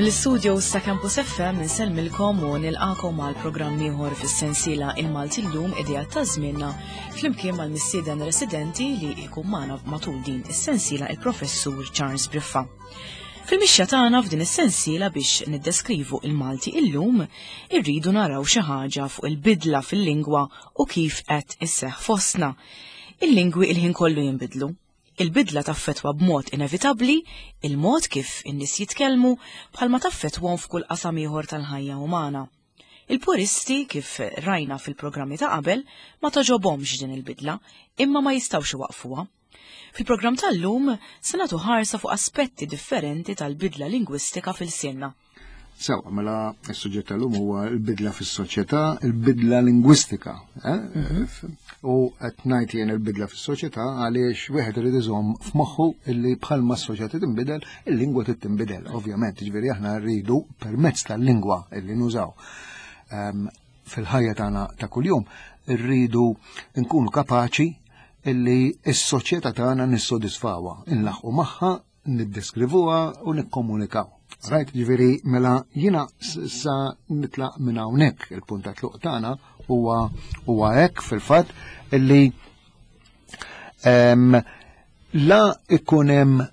Mill-istudio ta' Campus FM insellmilkom u nilqakom għal programm ieħor fis-sensiela Il-Malti llum idea ta' żmienna flimkien mal-mistieden residenti li jkun magħna matul din is-sensiela il-Professur Charles Briffa. Fil-mixja tagħna f'din is-sensiela biex niddeskrivu il-Malti illum, irridu naraw xi ħaġa fuq il-bidla fil-lingwa u kif qed isseħħ fostna. Il-lingwi il-ħin kollu jinbidlu. Il-bidla taffettwa b'mod inevitabbli il-mod kif in-nies jitkellmu bħalma taffettwahom f'kull qasam ieħor tal-ħajja umana. Il-puristi, kif rajna fil-programmi ta' qabel, ma togħġobhomx din il-bidla, imma ma jistgħux iwaqqfuha. Fil-programm tal-lum se nagħtu ħarsa fuq aspetti differenti tal-bidla lingwistika fil-sienna. Sewa, mela s-suġġett tal-lum huwa l-bidla fis-soċjetà, il-bidla lingwistika. Eh? Mhm. U qed ngħid jien il-bidla fis-soċjetà għaliex wieħed irid iżomm f'moħħu illi bħalma s-soċjetà tinbidel, il-lingwa trid tinbidel, ovvjament, jiġifieri aħna rridu permezz tal-lingwa illi nużaw ehm, fil-ħajja tagħna ta' kuljum, rridu nkunu kapaċi illi s-soċjetà tagħna nissodisfawha, inlaħqu magħha niddeskrivuha u nikkomunikaw. Right, ġifieri mela jiena sa nitlaq minn hawnhekk il-punt ta' tluq tagħna huwa huwa hekk fil-fatt illi la ikun hemm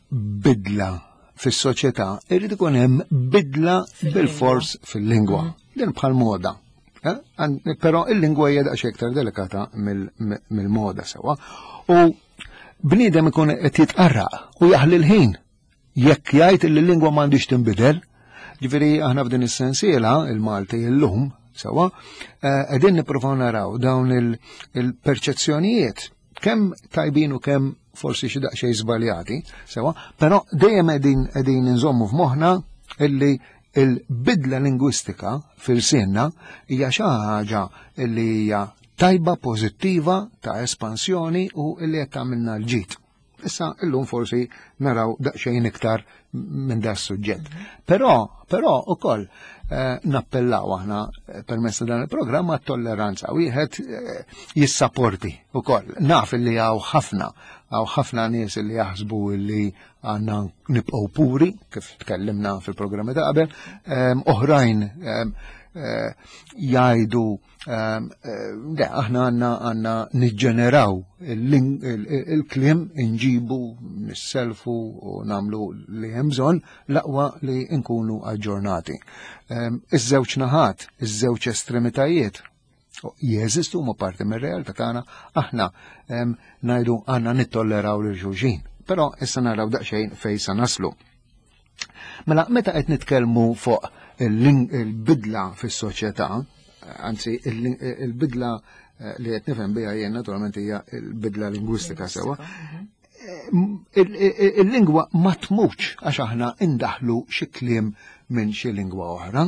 bidla fis-soċjetà, irid ikun hemm bidla bil-fors fil-lingwa. Mhm. Din bħal moda. Eh? Però il-lingwa hija daqsxejn iktar delikata mill-moda sewwa. U bniedem ikun qed jitqarraq u jaħli l-ħin jekk jgħid li l-lingwa m'għandix tinbidel. Ġifieri aħna f'din is-sensiela il-Malti illum sewwa eh, qegħdin nippruvaw naraw dawn il-perċezzjonijiet kemm tajbin u kemm forsi xi daqsxejn żbaljati, sewwa, però dejjem qegħdin qegħdin inżommu f'moħħna illi il-bidla lingwistika fil-sinna hija xi ħaġa li hija tajba, pożittiva, ta' espansjoni u li qed tagħmilna l-ġid. Issa illum forsi naraw daqsxejn iktar minn da suġġett. Però, però ukoll eh, nappellaw aħna eh, permezz ta' dan il-programm għat-tolleranza. Wieħed eh, jissaporti ukoll. Naf li hawn ħafna, hawn ħafna nies li jaħsbu li għandna nibqgħu puri, kif tkellimna fil-programmi ta' qabel, ehm, oħrajn ehm, eh, jgħidu ehm, eh, le, aħna għandna għandna niġġeneraw il-kliem inġibu, nisselfu u namlu li hemm bżonn l-aqwa li nkunu aġġornati. Iż-żewġ naħat, iż-żewġ estremitajiet jeżistu huma parti mir-realtà tagħna aħna ngħidu għandna nittolleraw lil xulxin. Però issa naraw daqsxejn fejn sa naslu. Mela meta qed nitkellmu fuq il-bidla fis-soċjetà, anzi il-bidla eh, li qed nifhem biha jien naturalment hija l-bidla lingwistika sewwa. Mhm. Eh, il-lingwa ma tmutx għax aħna indaħlu xi kliem minn xi lingwa oħra.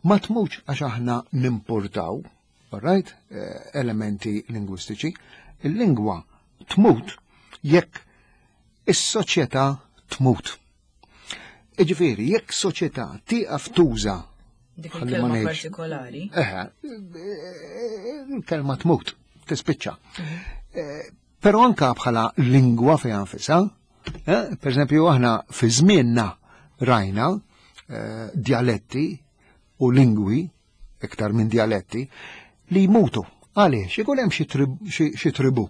Ma tmutx għax aħna nimportaw, right, eh, elementi lingwistiċi. Il-lingwa tmut jekk is-soċjetà tmut. Iġifieri, jekk soċjetà tieqaf tuża dik il-kelma partikolari. Eħe, il-kelma tmut, tispiċċa. Mhm. Eh, però anka bħala lingwa fejn nfisha, eh, per eżempju aħna fi żmienna rajna eh, dialetti u lingwi iktar minn dialetti li jmutu. Għaliex, ikun hemm xi tribu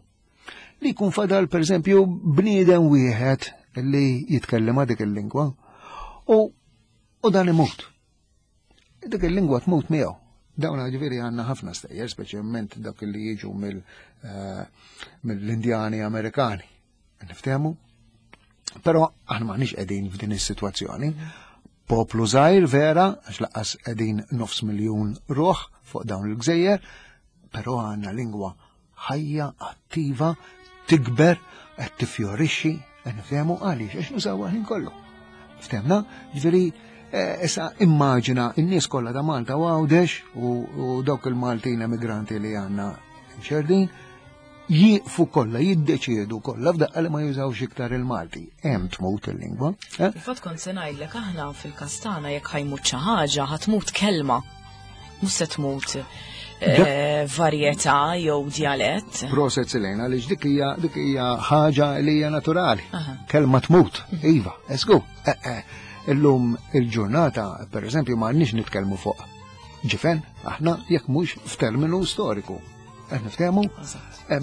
li jkun fadal per eżempju bniedem wieħed li jitkellem dik il-lingwa u u dan imut. Dik il-lingwa tmut miegħu. Dawn ġifieri għandna ħafna stejjer, speċjalment dak li jiġu eh, mill-Indjani Amerikani. Niftehmu? Però aħna m'aħniex qegħdin f'din is-sitwazzjoni. Poplu żgħir vera, għax laqqas qegħdin nofs miljun ruħ fuq dawn il-gżejjer, però għandna lingwa ħajja attiva, tikber, qed tifjorixxi, qed nifhemu għaliex għax nużawha ħin kollu. Ftemna, ġifieri eh, issa immaġina n-nies kollha ta' Malta u Għawdex u dawk il-Maltin emigranti li għandna xerdin jieqfu kollha, jiddeċiedu kollha f'daqqa li ma jużawx iktar il-Malti. Hemm tmut il-lingwa. Eh? Fil-fatt kont se ngħidlek aħna fil-kastana jekk ħajmut xi ħaġa ħatmut kelma. Mhux se tmut. eh, varjetà jew djalett. Proset Selena, għaliex dik hija dik hija ħaġa li hija naturali. Kelma tmut, mhm. iva, esku. Eh, eh, illum il-ġurnata, per eżempju, ma għandniex nitkellmu fuq ġifen, aħna jekk mhux f'terminu storiku. Qed niftehmu?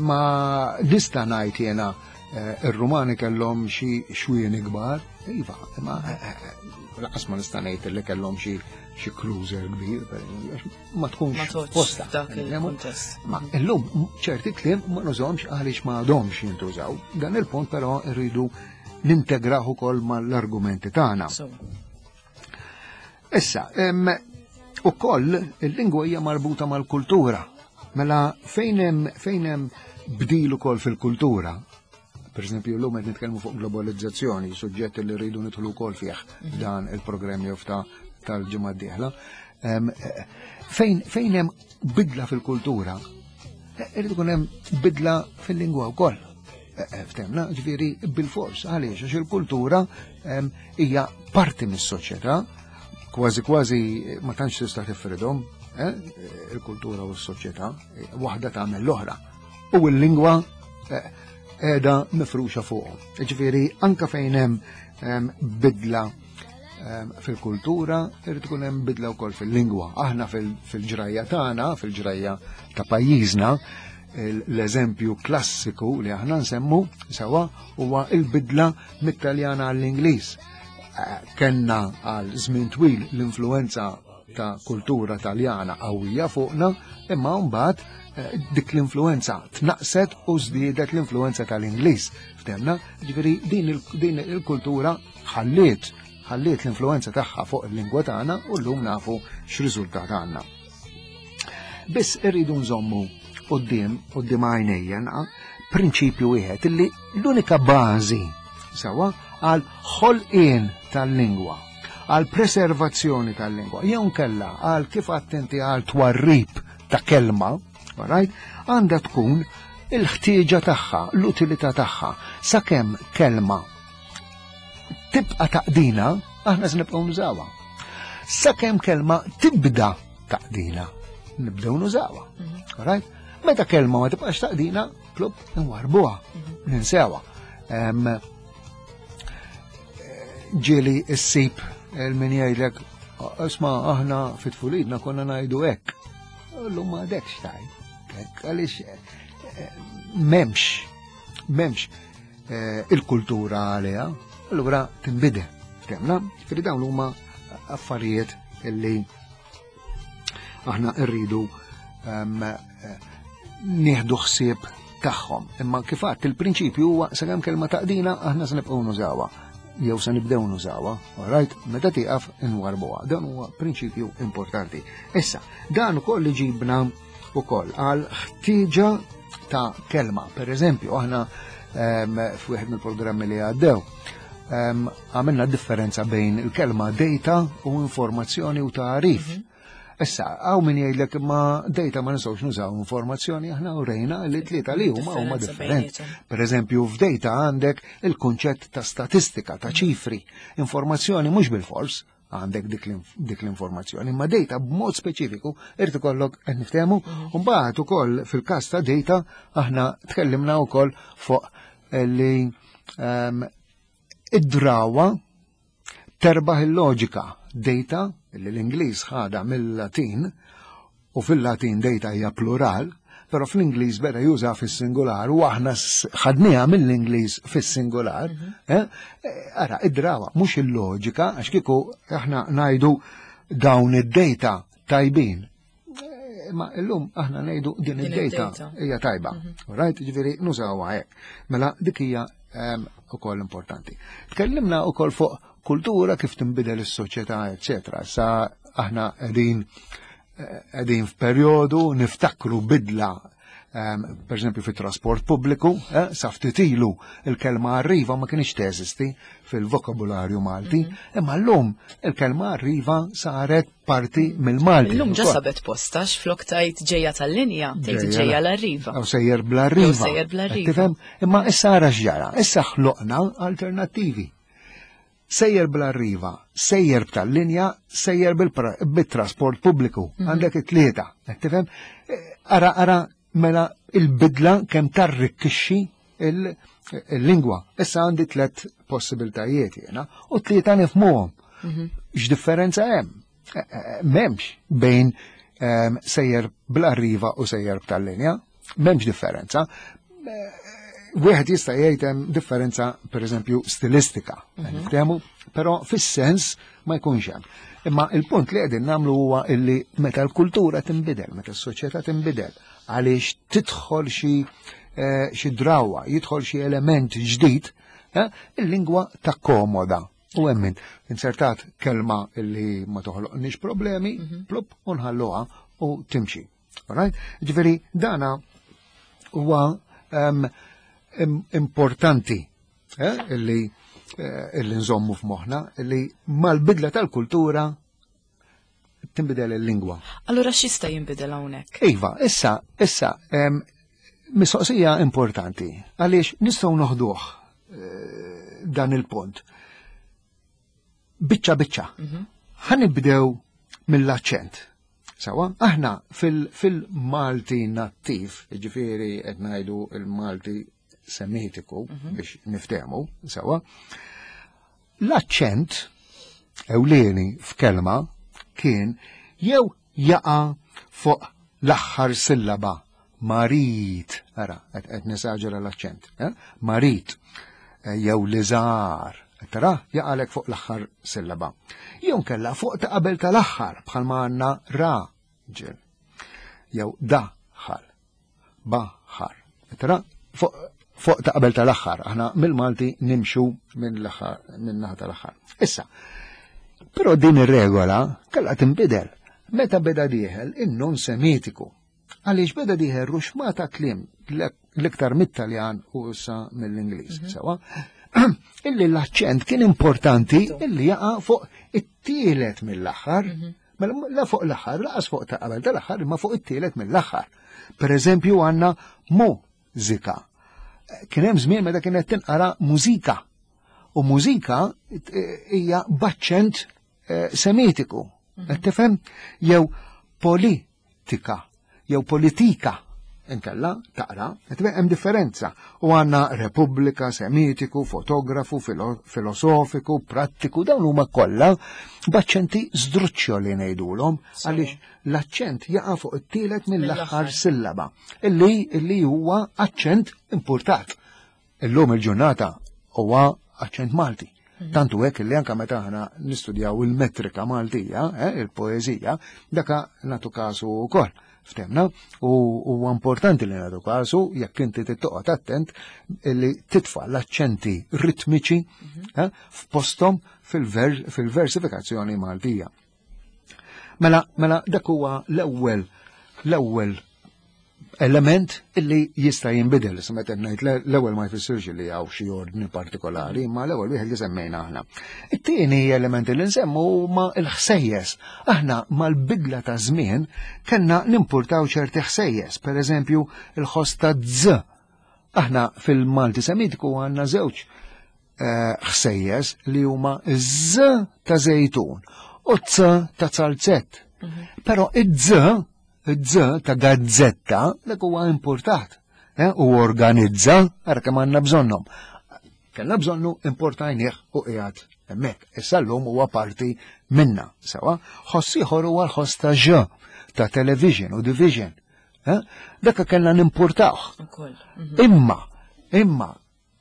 Ma nista' ngħid jiena eh, ir-Rumani kellhom xi xwieni kbar, iva, imma eh, eh, laqas ma nista' ngħid li kellhom xi xi cruiser kbir, ma tkunx posta. Dak il-kuntest. Ma illum ċerti kliem ma nużhomx għaliex ma għadhomx jintużaw. Dan il-punt però rridu nintegraw ukoll mal-argumenti tagħna. Issa, ukoll il-lingwa hija marbuta mal-kultura. Mela fejn hemm fejn hemm bdil ukoll fil-kultura, per eżempju llum qed nitkellmu fuq globalizzazzjoni, suġġett li rridu nidħlu wkoll fih mhm. dan il-programm jew ta' tal-ġimgħa d-dieħla. Fejn fejn hemm bidla fil-kultura, eh, irid ikun hemm bidla fil-lingwa wkoll. Eh, eh, ftemna, ġifieri bil-fors, għaliex għax il-kultura hija parti mis-soċjetà, kważi kważi ma tantx tista' tifridhom, eh, il-kultura u s-soċjetà, waħda tagħmel l-oħra. U l-lingwa qiegħda mifruxa fuqhom. Ġifieri anka fejn hemm bidla fil-kultura, irid ikun hemm bidla wkoll fil-lingwa. Aħna fil-ġrajja tagħna, fil-ġrajja ta' pajjiżna, l-eżempju klassiku li aħna nsemmu sewa huwa il-bidla mit-Taljana għall-Ingliż. Eh, kenna għal żmien twil l-influenza ta' kultura taljana qawwija fuqna, imma mbagħad eh, dik l-influenza tnaqset u żdiedet l-influenza tal-Ingliż. Ftemna, ġifieri din il-kultura ħalliet ħalliet l-influenza tagħha fuq il-lingwa tagħna u llum nafu x'riżultat għandna. Biss irridu nżommu quddiem quddiem għajnejja prinċipju wieħed illi l-unika bażi sewwa għal ħolqien tal-lingwa, għal preservazzjoni tal-lingwa, jew nkella għal kif attenti għal twarrib ta' kelma, right, għandha tkun il-ħtieġa tagħha, l-utilità tagħha, sakemm kelma tibqa' taqdina, aħna se nibqgħu nużawha. Sakemm kelma tibda taqdina, nibdew nużawha. Mhm. Right? Meta kelma ma tibqax taqdina, plub nwarbuha, mhm. ninsewha. Ġieli issib il-min jgħidlek, isma' aħna fit-tfulidna konna ngħidu hekk. Illum ma għadekx tajt. Għaliex eh, memx, memx eh, il-kultura għaliha, allura tinbidel. Temna, ġifieri dawn huma affarijiet illi aħna rridu ehm, eh, nieħdu ħsieb tagħhom. Imma kif għadt il-prinċipju huwa sakemm kelma taqdina aħna se nibqgħu nużawha jew se nibdew nużawha, alright, meta tieqaf inwarbuha. Dan huwa prinċipju importanti. Issa, dan ukoll iġibna ukoll għal ħtieġa ta' kelma. Per eżempju, aħna ehm, f'wieħed mill-programmi li għaddew, ehm, għamilna differenza bejn il-kelma data u informazzjoni u tarif. Mhm. Issa, għaw min jgħidlek ma data ma nistgħux nużaw informazzjoni aħna u rejna li tlieta li huma huma differenti. Per eżempju, f'data għandek il-kunċett ta' statistika, ta' mhm. ċifri, informazzjoni mhux bil-fors, għandek dik l-informazzjoni, imma data b'mod speċifiku irid ikollok qed niftehmu, mhm. u mbagħad ukoll fil-każ ta' data aħna tkellimna wkoll fuq li ehm, id-drawa terbaħ il-loġika. Data li l-Ingliż ħada mill-Latin u fil-Latin data hija plural, però fl-Ingliż beda juża fis-singular u aħna ħadniha mill-Ingliż fis-singular, mhm. eh? eh, ara id-drawa mhux il-loġika għax kieku aħna ngħidu dawn id-data tajbin. Eh, ma illum aħna ngħidu din id-data hija tajba. Mhm. Right, ġifieri nużawha hekk. Mela dik hija ehm, ukoll importanti. Tkellimna ukoll fuq kultura kif tinbidel is-soċjetà, eċetera. Sa aħna qegħdin qegħdin f'perjodu niftakru bidla ehm, per eżempju fit-trasport pubbliku, eh, sa ftit ilu il-kelma arriva ma kienx teżisti fil-vokabularju Malti, mhm. imma llum il-kelma arriva saret parti mill-Malti. Illum ġa sabet postax flok tajt ġejja tal-linja, tgħid ġejja l-arriva. Aw sejjer bl-arriva. Sejjer bl-arriva. Tifhem? Imma issa ara x'ġara, issa ħloqna alternattivi. Sejjer bl-arriva, sejjer b'tal-linja, sejjer bit-trasport pubbliku. Għandek it-tlieta, qed tifhem? Eh, ara, ara, mela il-bidla kemm tarrikkixxi il-lingwa. Issa għandi tlet possibiltajiet jiena u tlieta nifhmuhom. X'differenza hemm? Eh, eh, m'hemmx bejn sejjer bl-arriva u sejjer b'tal-linja, m'hemmx differenza. Eh, wieħed jista' jgħid hemm differenza pereżempju stilistika, niftehmu, però fis-sens ma jkunx hemm. Imma il-punt li qegħdin nagħmlu huwa illi meta l-kultura tinbidel, meta s-soċjetà tinbidel, għaliex tidħol xi xi drawa, jidħol xi element ġdid, il-lingwa takkomoda. U hemm insertat kelma illi ma toħloqniex problemi, plup, u nħalluha u timxi. Alright? Ġifieri dana huwa importanti illi illi nżommu f'moħħna illi mal-bidla tal-kultura tinbidel il-lingwa. Allura x'jista' jinbidel hawnhekk? Iva, issa, issa, mistoqsija importanti, għaliex nistgħu noħduh dan il-punt. Biċċa biċċa. Ħa nibdew mill-aċċent. Sawa, aħna fil-Malti nattiv, ġifieri qed ngħidu il-Malti semitiku biex niftehmu, sawa, l-aċċent ewlieni f'kelma kien jew jaqa' fuq l-aħħar sillaba, marit, ara, qed nesaġera l-aċċent, eh? Marit, jew liżar, tara, jaqalek fuq l-aħħar sillaba. Jew kella fuq ta' qabel tal-aħħar bħalma għandna raġel, jew daħal, baħar, tara, fuq ta' qabel tal-aħħar, aħna mill-Malti nimxu minn l-aħħar, minn naħa tal-aħħar. Issa, però din ir-regola kellha tinbidel meta beda dieħel in-non semitiku. Għaliex beda dieħel ruxmata kliem l-iktar mit-Taljan u issa mill-Ingliż, sewa? Illi l-aċċent kien importanti illi jaqa' fuq it-tielet mill-aħħar. Mela la fuq l-aħħar, laqas fuq ta' qabel tal-aħħar, imma fuq it-tielet mill-aħħar. Per eżempju għandna mużika. Kien hemm żmien meta kienet tinqara mużika. U mużika hija b'aċċent semitiku. Qed tifhem? Jew politika, jew politika. Inkella taqra, qed tifhem? Hemm differenza. U għandna repubblika, semitiku, fotografu, filosofiku, prattiku, dawn huma kollha b'aċċenti żdruċċjoli ngħidulhom, għaliex l-aċċent jaqa' fuq it-tielet mill-aħħar sillaba, illi huwa aċċent importat. Illum il-ġurnata huwa aċċent Malti. Tantu hekk li anka meta aħna nistudjaw il-metrika Maltija, il-poeżija, daka nagħtu kasu wkoll. Ftemna, u huwa importanti li nagħtu kasu jekk inti tittoqgħod attent li titfa' l-aċċenti ritmiċi f'posthom fil-versifikazzjoni Maltija. Mela dak huwa l-ewwel element illi jista' jinbidel. Issa meta ngħid l-ewwel ma jfissirx li hawn xi ordni partikolari, imma l-ewwel wieħed li semmejna aħna. It-tieni element li nsemmu huma l-ħsejjes. Aħna mal-bidla ta' żmien kellna nimpurtaw ċerti ħsejjes, pereżempju il-ħoss ta' z. Aħna fil-Malti Semitiku għandna żewġ ħsejjes li huma z ta' żejtun u c ta' zalzett. Però iż-z, iż-z ta' gazzetta, dak huwa importat. U organizza, ara kemm għandna bżonnhom. Kellna bżonnu importajnieh u qiegħed hemmhekk. Issa llum huwa parti minna, sewa. Ħoss ieħor huwa l-ħoss ta' ġ, ta' television u division. Dak kellna nimpurtawh. Ukoll. Imma, imma,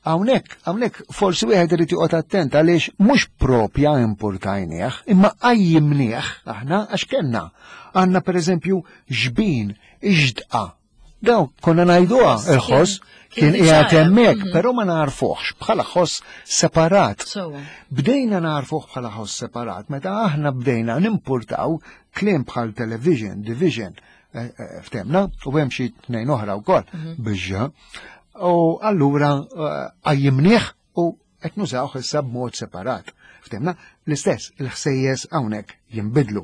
hawnhekk forsi wieħed irid joqgħod attent għaliex mhux propja importajnieh, imma qajjimnieh aħna għax kellna. Għandna pereżempju ġbin, iġdqa. Daw konna ngħiduha il-ħoss kien qiegħed hemmhekk, però ma narfuhx bħala ħoss separat. Bdejna narfuh bħala ħoss separat meta aħna bdejna nimpurtaw kliem bħal television, division, ftemna, u hemm xi tnejn oħra wkoll biex. U allura qajjimnieh u qed nużawh issa b'mod separat. Ftemna, l-istess il-ħsejjes hawnhekk jinbidlu.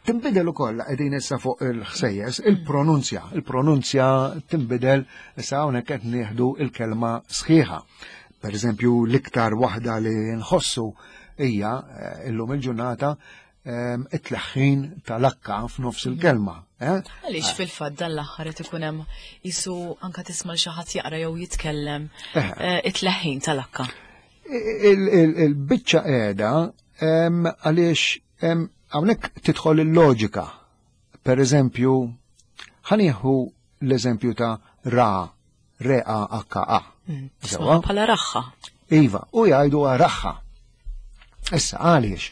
Tinbidel ukoll qegħdin issa fuq il-ħsejjes, il-pronunzja. Il-pronunzja tinbidel issa hawnhekk qed nieħdu il-kelma sħiħa. Per eżempju, l-iktar waħda li nħossu hija eh, illum il-ġurnata ehm, it-tleħħin tal-akka f'nofs il-kelma. Eh? Għaliex fil-fatt dan l-aħħar qed ikun hemm isu anka tisma' xi ħadd jaqra jew jitkellem eh, it-tleħħin tal-akka. Il-biċċa qiegħda ehm, għaliex ehm, hawnhekk tidħol il-loġika. Per eżempju, ħanieħu l-eżempju ta' ra, re a h a. Mm, bħala raħħa. Iva, u jgħidu raħħa. Issa għaliex?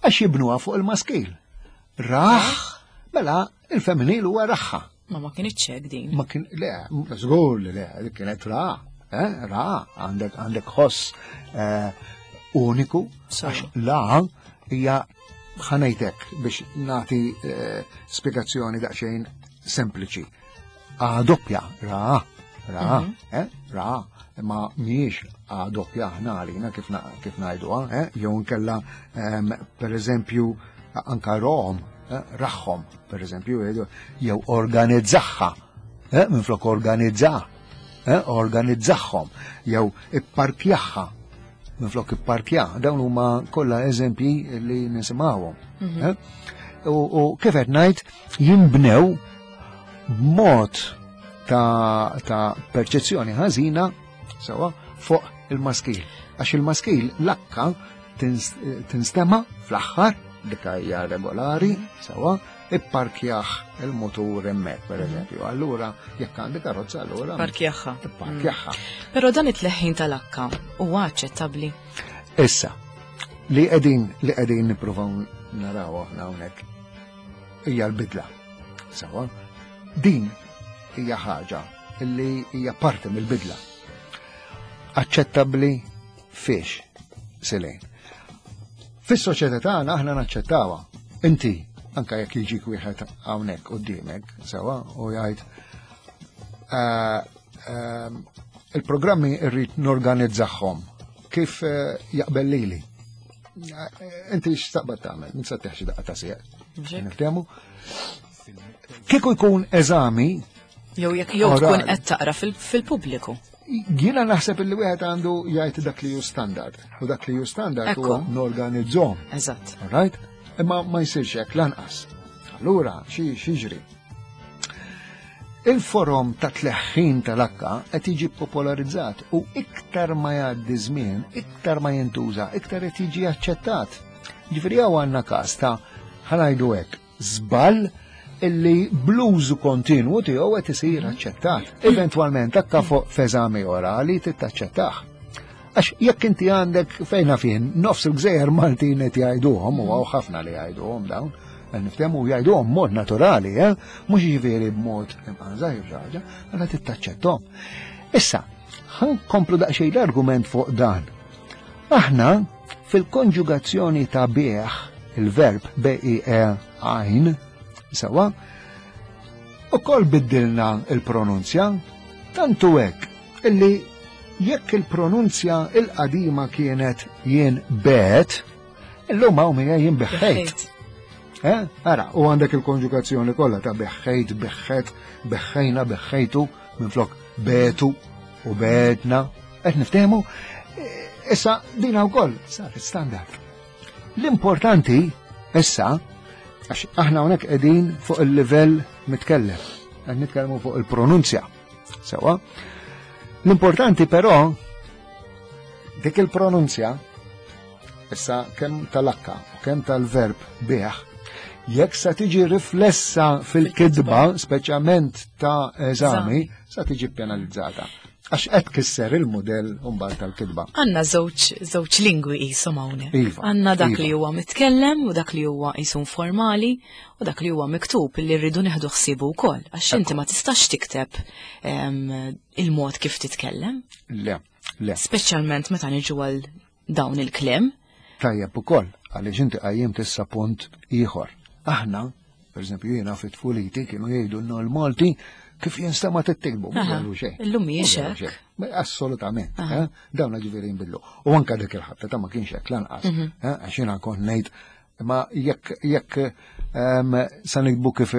Għax jibnuha fuq il-maskil. Raħ, mela il-femminil huwa raħħa. Ma ma kienx hekk din. Ma kien le, żgur li le, kienet ra, eh, ra, għandek għandek ħoss eh, uniku, għax la hija ħanejtek biex nagħti eh, spjegazzjoni daqsxejn sempliċi. A doppja, ra, ra, mhm. eh, ra, ma miex A doppja aħna għalina kif kif ngħiduha, eh, jew nkella ehm, per eżempju anka rom, eh, raħħom, per eżempju, jew organizzaħħa, eh, minflok organizza, eh, organizzaħħom, jew ipparkjaħħa, minflok ipparkja, dawn huma kollha eżempji li nisimgħuhom. Mhm. Eh? U kif qed ngħid jinbnew b'mod ta', ta perċezzjoni ħażina sewa fuq il-maskil. Għax il-maskil l-akka tinstema fl-aħħar dik hija regolari, sewa, ipparkjaħ il-motur hemmhekk pereżempju. Allura jekk għandi karozza allura Parkjaħħa. Ipparkjaħħa. Mm. Però dan it-tleħħin tal-akka huwa aċċettabbli. Issa, li qegħdin li qegħdin nippruvaw naraw aħna hawnhekk hija l-bidla. Sewa, din hija ħaġa li hija parti mill-bidla. Aċċettabbli fiex, Selejn. Fis-soċjetà tagħna aħna naċċettawha. Inti, anka jekk jiġik wieħed hawnhekk quddiemek, sewa, u jgħid eh, eh, il-programmi rrid norganizzahom kif eh, jaqbel lili. Inti x'taqbad tagħmel, min se teħxi daqqa ta' sieq. Niftehmu? Kieku jkun eżami Jew jekk jew tkun qed taqra fil-pubbliku. Jiena naħseb illi wieħed għandu jgħid dak li hu standard. U dak li hu standard huwa norganizzhom. Eżatt. Right? Imma ma jsirx hekk lanqas. Allura xi xiġri. Il-forom ta' tleħħin tal-akka qed jiġi popolarizzat u iktar ma jgħaddi żmien, iktar ma jintuża, iktar qed jiġi aċċettat. Ġifieri hawn għandna każ ta' ħanajdu hekk, żball illi bl-użu kontinwu tiegħu qed isir aċċettat. Eventwalment akka fuq f'eżami orali tittaċċettah. Għax jekk inti għandek fejna fien nofs il-gżejjer Maltin qed jgħiduhom u hawn ħafna li jgħiduhom dawn, niftehmu jgħiduhom mod naturali, eh? mhux jiġifieri b'mod imqanża jew xi ħaġa, għandha tittaċċetthom. Issa, ħankomplu daqsxejn l-argument fuq dan. Aħna fil-konġugazzjoni ta' bieħ, il-verb B-I-E għajn, sewa, u kol biddilna il-pronunzja, tantu hekk illi jekk il-pronunzja il-qadima kienet jien bet, illum hawn hija jien beħħejt. Eh? Ara, u għandek il-konġugazzjoni kollha ta' beħħejt, beħħet, beħħejna, beħħejtu, minflok betu u betna. Qed niftehmu? Issa dina wkoll saret standard. L-importanti issa għax aħna hawnhekk qegħdin fuq il-livell mitkellem, qed nitkellmu fuq il-pronunzja. Sewa. L-importanti però dik il-pronunzja issa kemm tal-akka u kemm tal-verb bih, jekk sa tiġi riflessa fil-kidba, speċjalment ta' eżami, sa tiġi penalizzata. Għax qed kisser il-mudell mbagħad tal-kitba. Għandna żewġ żewġ lingwi qishom hawnhekk. Iva, Għandna dak iva. li huwa mitkellem u dak li huwa qisu informali u dak li huwa miktub li rridu neħdu ħsiebu wkoll. Għax inti ma tistax tikteb ehm, il-mod kif titkellem. Le, le. Speċjalment meta niġu għal dawn il-kliem. Tajjeb ukoll, għaliex inti qajjimt issa punt ieħor. Aħna, per eżempju, jiena fit-tfuliti kienu jgħidu l-Malti kif jinstema tittikbu, mhux jgħidu xejn. Illum mhijiex hekk. Assolutament, eh? dawn ġifieri jinbidlu. U anke dik il-ħabta ta' ma kienx hekk lanqas, mhm. eh? għax jiena kont ngħid ma jekk jekk ehm, sa nikbu kif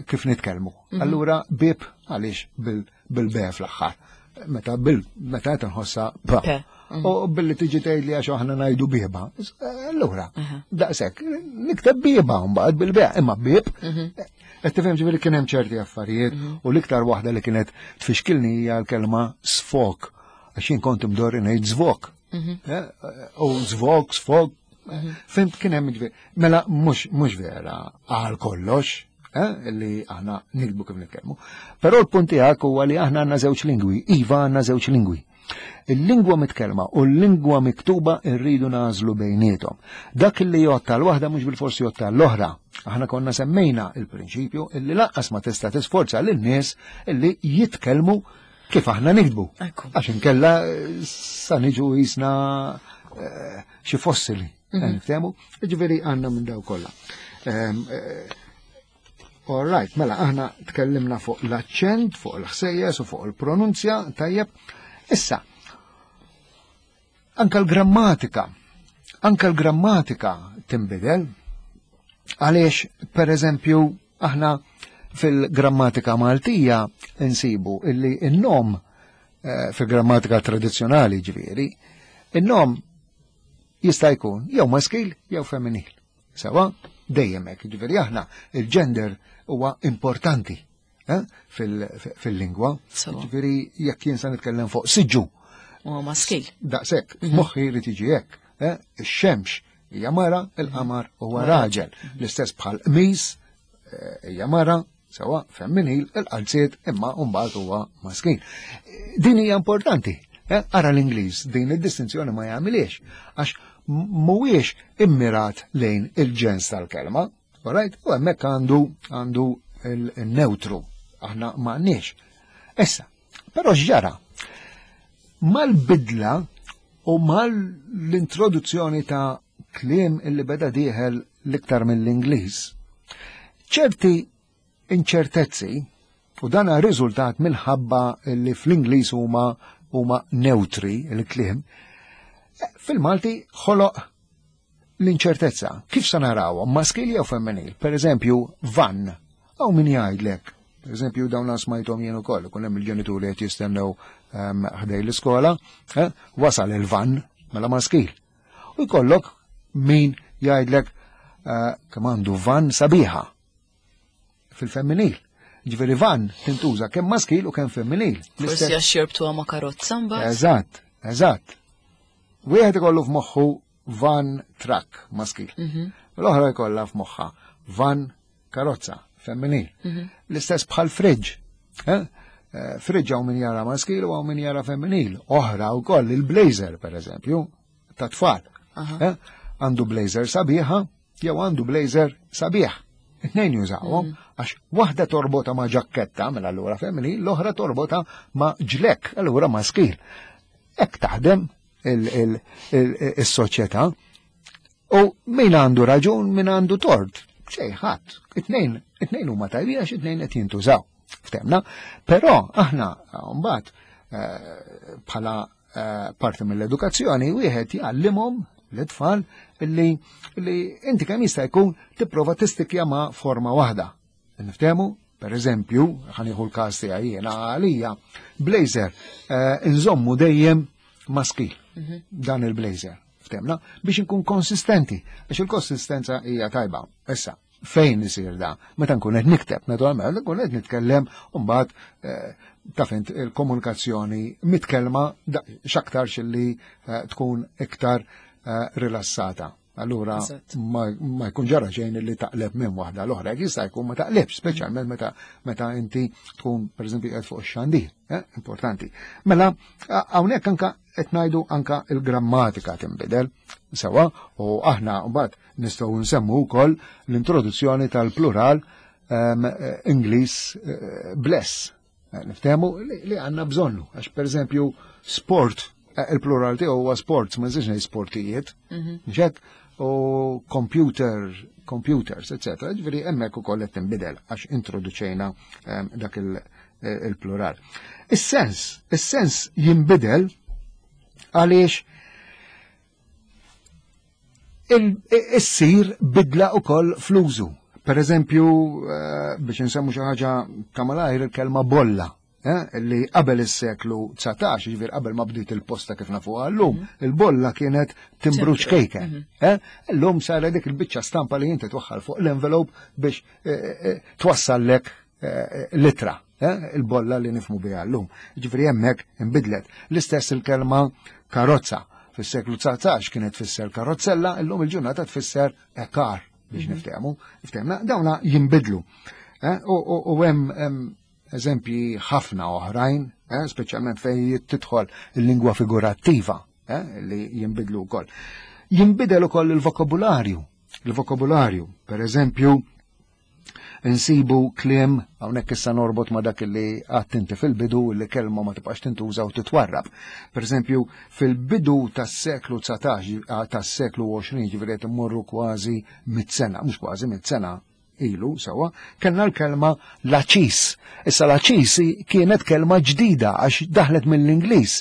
kif nitkellmu. Mhm. Allura bib għaliex bil-be fl-aħħar. meta bil meta qed nħossha pa. Mhm. U billi tiġi tgħidli għax aħna ngħidu bieba. Allura, daqshekk, nikteb bieba mbagħad bil-beq, imma bieb. Mhm. Qed tifhem ġifieri kien hemm ċerti affarijiet mhm. u l-iktar waħda li kienet tfixkilni hija l-kelma sfok. Għax jien kont imdorri ngħid zvok. Eh, u zvok, sfok, Fimt kien hemm ġifieri. Mela mhux vera għal kollox, eh, li aħna nikbu kif nitkellmu. Però l-punt tiegħek huwa li aħna għandna żewġ lingwi, iva għandna żewġ lingwi. Il-lingwa mitkellma u l-lingwa miktuba rridu nażlu bejniethom. Dak li jotta l-waħda mhux bil-forsi jotta l-oħra. Aħna konna semmejna il-prinċipju illi lanqas ma tista' tisforza lin-nies illi jitkellmu kif aħna nikdbu. Għax inkella eh, sa niġu jisna eh, xi fossili. Mhm. Niftehmu? Ġifieri għandna minn daw kollha. Ehm, eh, all right, mela aħna tkellimna fuq l-aċċent, fuq il-ħsejjes u fuq il-pronunzja, tajjeb. Issa, anka l-grammatika, anka l-grammatika tinbidel, għaliex, per eżempju, aħna fil-grammatika Maltija insibu illi n-nom eh, fil-grammatika tradizzjonali ġifieri, in-nom jista' jkun jew maskil jew femminil. Sewa, dejjem hekk, ġifieri aħna il-gender huwa importanti eh, fil-lingwa. Ġifieri jekk jien sa nitkellem fuq siġġu. Huwa maskil. Daqshekk, mhm. moħħi jrid jiġi hekk. Eh, ix-xemx hija mara, il-qamar huwa raġel. Mhm. L-istess bħal qmis eh, hija mara, sewa femminil, il-qalziet imma mbagħad huwa maskil. Din hija importanti. Eh, ara l-Ingliż din id-distinzjoni ma jagħmiliex għax mhuwiex immirat lejn il-ġens tal-kelma, right? U hemmhekk għandu għandu il-neutru, aħna m'għandniex. Issa, però x'ġara? Mal-bidla u mal-introduzzjoni ta' kliem illi beda dieħel l-iktar mill-Ingliż, ċerti inċertezzi u dan riżultat minħabba li fl-Ingliż huma huma neutri il-kliem, fil-Malti ħoloq l-inċertezza. Kif sa narawhom, maskil jew femminil? Per eżempju, van, hawn min jgħidlek. Per eżempju, dawn smajthom jien ukoll, ikun hemm il-ġenituri qed jistennew ehm, ħdej l-iskola, eh, wasal il-van mela maskil. U jkollok min jgħidlek eh, kemm għandu van sabiħa fil-femminil. Ġifieri van tintuża kemm maskil u kemm femminil. Forsi għax jirbtuha ma' karozza mbagħad. Eżatt, eżatt. Wieħed ikollu f'moħħu van truck maskil. Mhm. L-oħra jkollha f'moħħa van karozza femminil. Mhm. L-istess bħal fridge. Eh? Eh, fridge hawn min jara maskil u hawn min jara femminil. Oħra wkoll il-blazer pereżempju ta' tfal. Eh? Għandu blazer sabiħa jew għandu blazer sabiħ. It-tnejn jużawhom mm. għax waħda torbota ma' ġakketta mela allura femminil, l-oħra torbota ma' ġlek, allura maskil. Hekk taħdem il-soċjetà. U min għandu raġun, min għandu tort. Xej, ħadd. It-tnejn, it-tnejn huma tajbin għax it-tnejn qed jintużaw. Ftemna. Però aħna mbagħad eh, bħala eh, parti mill-edukazzjoni wieħed jgħallimhom l-tfal li li inti kemm jista' jkun tipprova tistikja ma' forma waħda. Niftehmu, per eżempju, ħanieħu l-każ tiegħi jiena għalija, blazer eh, inżommu dejjem maskil mhm. dan il-blazer. Ftemna, biex inkun konsistenti, biex il-konsistenza hija tajba. Issa, fejn isir da? Meta nkun qed nikteb, naturalment, nkun qed nitkellem u mbagħad eh, taf int il-komunikazzjoni mitkellma x'aktarx li eh, tkun iktar rilassata. Allura ma jkun ġara xejn li taqleb minn waħda l-oħra, jista' jkun ma taqlebx, speċjalment meta meta inti tkun pereżempju qed fuq ix-xandir, eh, importanti. Mela hawnhekk anka qed ngħidu anka il-grammatika tinbidel sewa u aħna mbagħad nistgħu nsemmu wkoll l-introduzzjoni tal-plural ehm, eh, Ingliż eh, bless. Eh, niftehmu li għandna bżonnu, għax pereżempju sport, eh, il-plural tiegħu huwa sports, ma nżidx ngħid sportijiet, mhm. mhux u computer, computers, etc. Ġifieri hemmhekk ukoll qed tinbidel għax introduċejna ehm, dak eh, il-plural. Is-sens, is-sens jinbidel għaliex issir bidla ukoll fl-użu. Per eżempju, eh, biex nsemmu xi ħaġa ta' malajr il-kelma bolla. Li qabel is-seklu 19, ġifier qabel ma bdiet il-posta kif nafuha llum, il-bolla kienet timbru ċkejken. Illum saret dik il-biċċa stampa li inti twaħħal fuq l-envelope biex twassallek l-ittra, il-bolla li nifhmu biha llum. Ġifieri hemmhekk inbidlet. L-istess il-kelma karozza. Fis-seklu 19 kienet tfisser karozzella, illum il-ġurnata tfisser car biex niftehmu. Niftehmu, dawna jinbidlu. U hemm eżempji ħafna oħrajn, speċjalment fejn tidħol il-lingwa figurattiva, li jinbidlu wkoll. Jinbidel ukoll il-vokabularju. Il-vokabularju, per eżempju, insibu kliem, hawnhekk issa norbot ma dak li għedt inti fil-bidu, li kelma ma tibqax tintuża u titwarrab. Per eżempju, fil-bidu tas-seklu 19, tas-seklu 20, ġifieri qed immorru kważi 100 sena, mhux kważi 100 sena ilu, sewa, kellna l-kelma laċis. Issa laċis kienet kelma ġdida għax daħlet mill-Ingliż,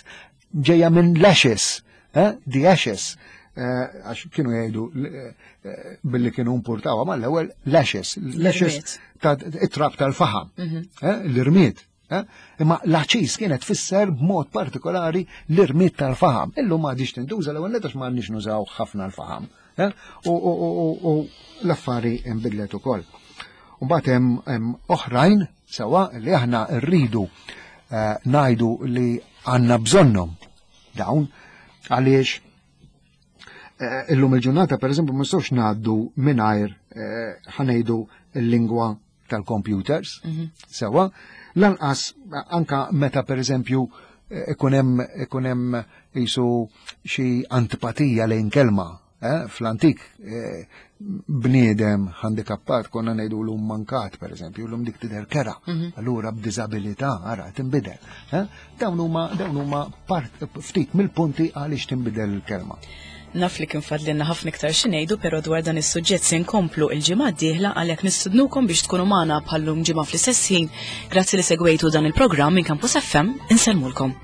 ġejja minn lashes, the ashes, għax kienu jgħidu billi kienu importawa mal-ewwel lashes, lashes ta' it-trab tal-faħam, l-irmied. Imma laċis kienet tfisser b'mod partikolari l-irmied tal-faħam. Illum m'għadhiex tintuża, l-ewwel nett għax m'għandniex nużaw ħafna l-faħam. U l-affari nbidlet ukoll. U mbagħad hemm oħrajn sewa li aħna rridu ngħidu li għandna bżonnhom dawn, għaliex illum il-ġurnata, per eżempju, ma nistgħux ngħaddu mingħajr ħa ngħidu l-lingwa tal-computers, sewa, lanqas anka meta, per eżempju, ikun hemm jisu xi antipatija lejn kelma. Fl-antik bniedem handikappat konna ngħidu l mankat, per eżempju, l dik tidher kerha, allura b'diżabilità ara tinbidel. Dawn huma part ftit mill-punti għaliex tinbidel il-kelma. Naf li kien fadlilna ħafna iktar xi ngħidu, però dwar dan is-suġġett se nkomplu il-ġimgħa d-dieħla, għalhekk nistednukom biex tkunu magħna bħallum ġimgħa fl-istess ħin. Grazzi li segwejtu dan il-programm minn Campus FM, insellmulkom.